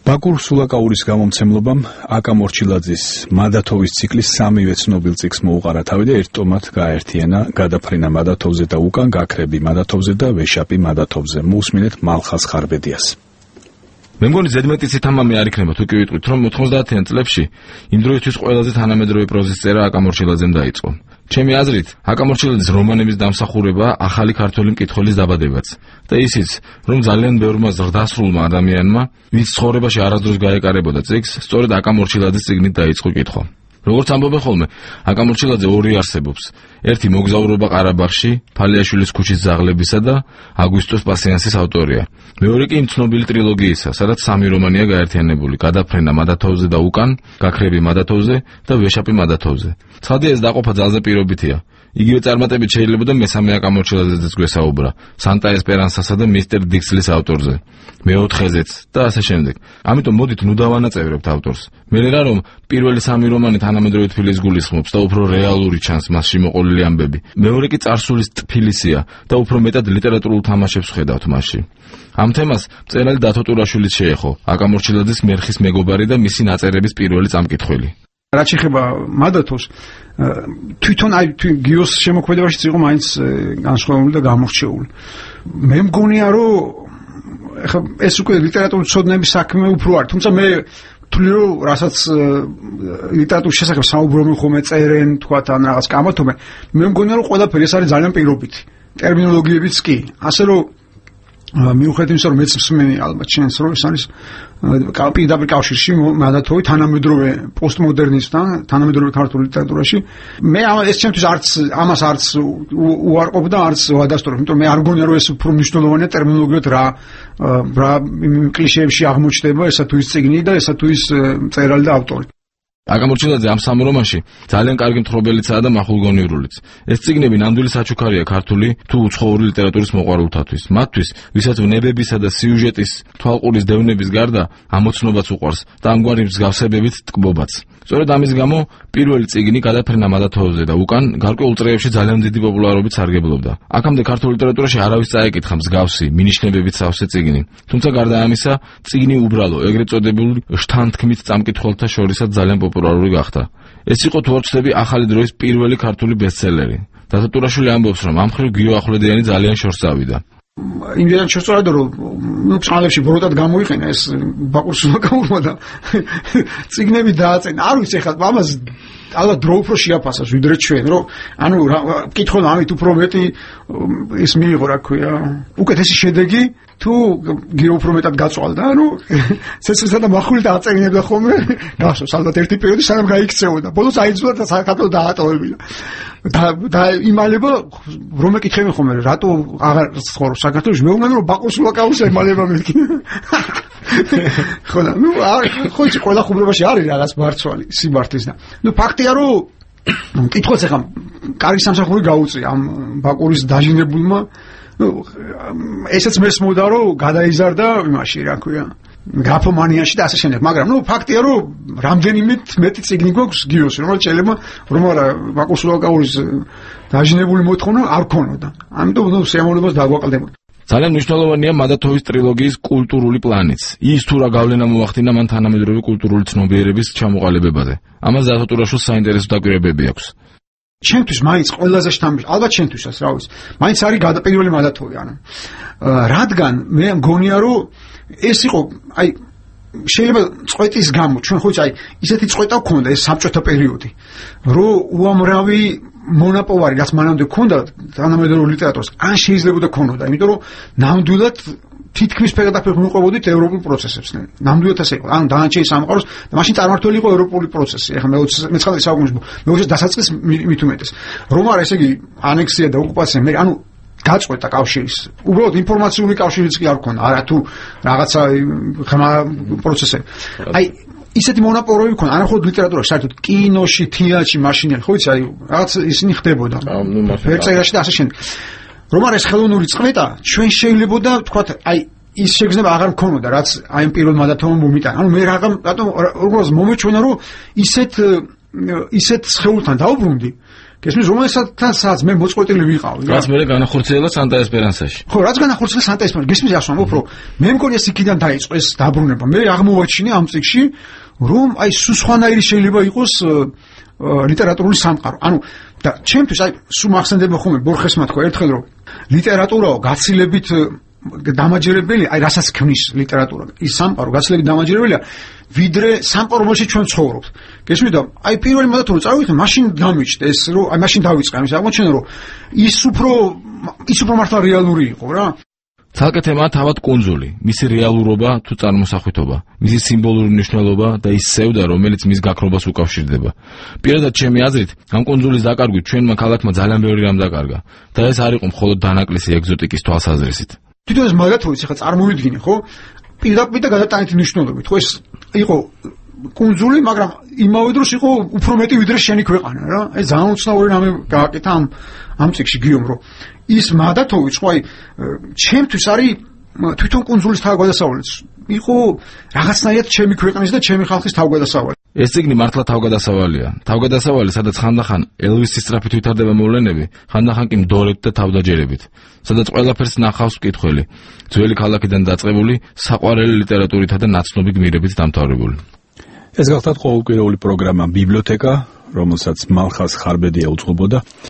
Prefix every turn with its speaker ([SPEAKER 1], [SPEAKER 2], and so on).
[SPEAKER 1] ბაკურ სულაკაურის გამომცემლობამ აკა მორჩილაძის მადათოვის ციკლის სამივე ცნობილ წიგნს მოუყარა თავი და ერთ ტომად გააერთიანა გადაფრენა მადათოვზე და უკან გაქრები მადათოვზე და ვეშაპი მადათოვზე. მოусმინეთ მალხას ხარბედიას.
[SPEAKER 2] მე მგონი ზედმეტი ცითამამი არ იქნება თუ კი ვიტყვით, რომ 90-იან წლებში იმ დროისთვის ყველაზე თანამედროვე პროზის წერა აკა მორჩილაძემ დაიწყო. ჩემი აზრით, აკა მორჩილაძის რომანების დამსახურება ახალი ქართველი მკითხველის დაბადებაც და ისიც, რომ ძალიან ბევრმა ზრდასრულმა ადამიანმა, ვინც ცხოვრებაში არასდროს გაეკარებოდა წიგნს, სწორედ აკა მორჩილაძის წიგნით დაიწყო კითხვა. როგორც ამბობენ ხოლმე, აკა მორჩილაძე ორი არსებობს. ერთი მოგზაურობა ყარაბაღში, ფალიაშვილის ქუჩის ძაღლებისა და აგვისტოს პასიანსის ავტორია. მეორე კი იმ ცნობილი ტრილოგიისა, სადაც სამი რომანია გაერთიანებული: გადაფრენა მადათოვზე და უკან, გაქრები მადათოვზე და ვეშაპი მადათოვზე. ცხადია, ეს დაყოფა ძალზე პირობითია. იგივე წარმატებით შეიძლება და მესამე აკა მორჩილაძეც გვესაუბრა, სანტა ესპერანსასა და მისტერ დიქსლის ავტორზე, მეოთხეზეც და ასე შემდეგ. ამიტომ მოდით ნუ დავანაწევრებთ ავტორს. მე რა რომ პირველი სამი რომანი თანამედროვე თბილისს გულისხმობს და უფრო რეალური ჩანს მასში მოყოლილი ამბები. მეორე კი წარსულის ტფილისია და უფრო მეტად ლიტერატურულ თამაშებს ხედავთ მასში. ამ თემას მწერალი დათო ტურაშვილიც შეეხო, აკა მორჩილაძის მერხის მეგობარი და მისი ნაწერების პირველი წამკითხველი.
[SPEAKER 3] რაც ეხება მადათოს, თვითონ გიოს შემოქმედებაშიც იყო მაინც განსხვავებული და გამორჩეული. მე მგონია, რომ ეხლა ეს უკვე ლიტერატურის ცოდნების საქმე უფრო არის, თუმცა მე თვლი რომ რასაც ლიტერატურის შესახებ საუბრობენ ხოლმე წერენ, თქვათ ან რაღაც კამათობენ, მე მგონია რომ ყველაფერი ეს არის ძალიან პირობითი. ტერმინოლოგიებიც კი, ასე რომ მიუხედავად იმისა, რომ მეც მსმენი ალბათ შენს რომ ეს არის პირდაპირ კავშირში მადათოვი თანამედროვე პოსტმოდერნისტთან, თანამედროვე ქართულ ლიტერატურაში. მე ეს ჩემთვის ამას არც უარყოფ და არც ვადასტურებ, იმიტომ რომ მე არ მგონია რომ ეს უფრო მნიშვნელოვანია ტერმინოლოგიად რა კლიშეებში აღმოჩნდება ესა თუ ის წიგნი და ესა თუ ის მწერალი და ავტორი. აკა მორჩილაძე ამ სამ რომანში ძალიან კარგი მთხრობელიცაა და მახულგონიურულიც. ეს წიგნები ნამდვილი საჩუქარია ქართული თუ უცხოური ლიტერატურის მოყვარულთათვის. მათთვის, ვისაც ვნებებისა და სიუჟეტის თვალყურის დევნების გარდა ამოცნობაც უყვარს და ამგვარი მსგავსებებით ტკბობაც. სწორედ ამის გამო პირველი წიგნი გადაფრენა მადათოვზე და უკან გარკვეულ წრეებში ძალიან დიდი პოპულარობით სარგებლობდა. აქამდე ქართულ ლიტერატურაში არავის წაეკითხა მსგავსი, მინიშნებებით სავსე წიგნი. თუმცა გარდა ამისა, წიგნი უბრალო, ეგრეთ წოდებული შთანთქმით წამკითხველთა შორისაც ძალიან პოპულარული გახდა. ეს იყო თუ არ ვცდები ახალი დროის პირველი ქართული ბესტსელერი. დათო ტურაშვილი ამბობს, რომ ამ მხრივ გიო ახვლედიანი ძალიან შორს წავიდა. იმდენად შეწორდა რომ წყალებში ბროდად გამოიყენა ეს ბაკურ სულაკაურმა და წიგნები დააწენა. არ ვიცი ხა ამას ალბათ დრო უფრო შეაფასოს ვიდრე ჩვენ, რომ ანუ მკითხონ ამით უფრო მეტი ის მიიღო, რა ქვია, უკეთესი შედეგი თუ გიო უფრო მეტად გაწვალდა, ანუ ცეცხლსა და მახვილით აწენინებდა ხოლმე, გახსოვს ალბათ ერთი პერიოდი სანამ გაიქცეოდა. ბოლოს აიძულა და საქართველოს დაატოვებინა. და იმალება რომ ეკითხები ხოლმე, რატო აღარ ცხოვრობს საქართველოში? მე ვუნა რომ ბაკურ სულაკაურს ემალება მეთქი. ხო და ნუ ხო იცი ყველა ხუმრობაში არის რაღაც მარცვალი სიმართლის და ნუ ფაქტია რომ მკითხველს ახლა კარგი სამსახური გაუწია ამ ბაკურის დაჟინებულმა. ნუ ესეც მესმოდა რომ გადაიზარდა იმაში, რა ქვია, გრაფომანიაში და ასე შემდეგ, მაგრამ ნუ ფაქტია რომ რამდენიმე მეტი წიგნი გვაქვს გიოსი, რომელიც შეიძლება ბაკურ სულაკაურის დაჟინებული მოთხოვნა არ ქონოდა. ამიტომ ნუ სიამოვნებას დაგვაყალდებოდა. ძალიან მნიშვნელოვანია მადათოვის ტრილოგიის კულტურული პლანიც. ის თუ რა გავლენა მოახდინა მან თანამედროვე კულტურული ცნობიერების ჩამოყალიბებაზე. ამას დათო ტურაშვილს საინტერესო დაკვირვებები აქვს. ჩემთვის მაინც ყველაზე შთამბეჭდავი, ალბათ ჩემთვისაც, რა ვიცი, მაინც არის გადაპირველი მადათოვი, ანუ რადგან მე მგონია რომ ეს იყო, აი შეიძლება წყვეტის გამო, ჩვენ ხო აი ისეთი წყვეტა გქონდა ეს საბჭოთა პერიოდი, რომ უამრავი მონაპოვარი რაც მანამდე გქონდა თანამედროვე ლიტერატურას, ან შეიძლებოდა გქონოდა, იმიტომ რომ ნამდვილად თითქმის ფერადაფერ მიყვებოდით ევროპულ პროცესებს. ნამდვილად ასე იყო. ანუ დანარჩენი სამყაროს და მაშინ წარმართული იყო ევროპული პროცესი. ეხლა მე-19 საუკუნის მე-20 დასაწყის მით უმეტეს. რომ არა, ესე იგი ანექსია და ოკუპაცია, მე ანუ გაწყვეტა კავშირის. უბრალოდ ინფორმაციული კავშირიც კი არ ქონდა, არა თუ რაღაცა ხმა პროცესები. აი ისეთი მონაპოვარები ქონდა, არა მხოლოდ ლიტერატურაში, საერთოდ კინოში, თეატრში, მაშინელი, ხო იცი, აი რაღაც ისინი ხდებოდა. ფერწერაში და ასე შემდეგ. რომ არის ხელოვნური წყვეტა, ჩვენ შეიძლებოდა ვთქვათ, აი ის შეგრძნება აღარ მქონოდა, რაც აი ამ პირველ მადათოვმა მომიტანა. ანუ მე რატომ მომეჩვენა, რომ ისეთ სხეულთან დავუბრუნდი, გესმის, რომელსაც მე მოწყვეტილი ვიყავი.
[SPEAKER 2] რაც მე განახორციელა სანტა ესპერანსაში.
[SPEAKER 3] ხო, რაც განახორციელა სანტა ესპერანსაში. გესმის, ასე ვამბობ, რომ მე მგონი ეს იქიდან დაიწყო ეს დაბრუნება. მე აღმოვაჩინე ამ წიგნში, რომ აი სხვანაირი შეიძლება იყოს ლიტერატურული სამყარო. ანუ და ჩემთვის აი სულ მახსენდება ხოლმე ბორხესმა თქვა ერთხელ რომ ლიტერატურაო გაცილებით დამაჯერებელი, აი რასაც ქმნის ლიტერატურა. ის სამყარო გაცილებით დამაჯერებელია, ვიდრე სამყარო, რომელშიც ჩვენ ცხოვრობთ. გესმით და აი პირველი მოდათ რომ წავიდეთ, მაშინ დამიჩნდა ეს რომ აი მაშინ დავიწყე ამის აღმოჩენა რომ ის უფრო მართლა რეალური იყო რა.
[SPEAKER 2] ცალკე თემაა თავად კუნძული, მისი რეალურობა თუ წარმოსახვითობა, მისი სიმბოლური მნიშვნელობა და ის სევდა, რომელიც მის გაქრობას უკავშირდება. პირადად ჩემი აზრით, ამ კუნძულის დაკარგვით ჩვენმა ქალაქმა ძალიან ბევრი რამ დაკარგა და ეს არ იყო მხოლოდ დანაკლისი ეგზოტიკის თვალსაზრისით.
[SPEAKER 3] თვითონ ეს მაგათოიც ახლა წარმოვიდგინე, ხო? პირდაპირ და გადატანითი მნიშვნელობით, ხო ეს იყო კუნძული, მაგრამ იმავე დროს იყო უფრო მეტი ვიდრე შენი ქვეყანა რა. ეს ძალიან უცნაური რამე გააკეთა ამ წიგნში გიომ რომ ის მადათოვი ხო აი ჩემთვის არის თვითონ კუნძულის თავგადასავლიც იყო რაღაცნაირად ჩემი ქვეყნის და ჩემი ხალხის თავგადასავალი.
[SPEAKER 2] ეს წიგნი მართლა თავგადასავალია. თავგადასავალი, სადაც ხანდახან ელვისის სწრაფით ვითარდება მოვლენები, ხანდახან კი მდორედ და თავდაჯერებით, სადაც ყველაფერს ნახავს მკითხველი, ძველი ქალაქიდან დაწყებული, საყვარელი ლიტერატურითა და ნაცნობი გმირებით დამთავრებული.
[SPEAKER 1] ეს გახლავთ ყოველკვირეული პროგრამა ბიბლიოთეკა, რომელსაც მალხაზ ხარბედია უძღვებოდა.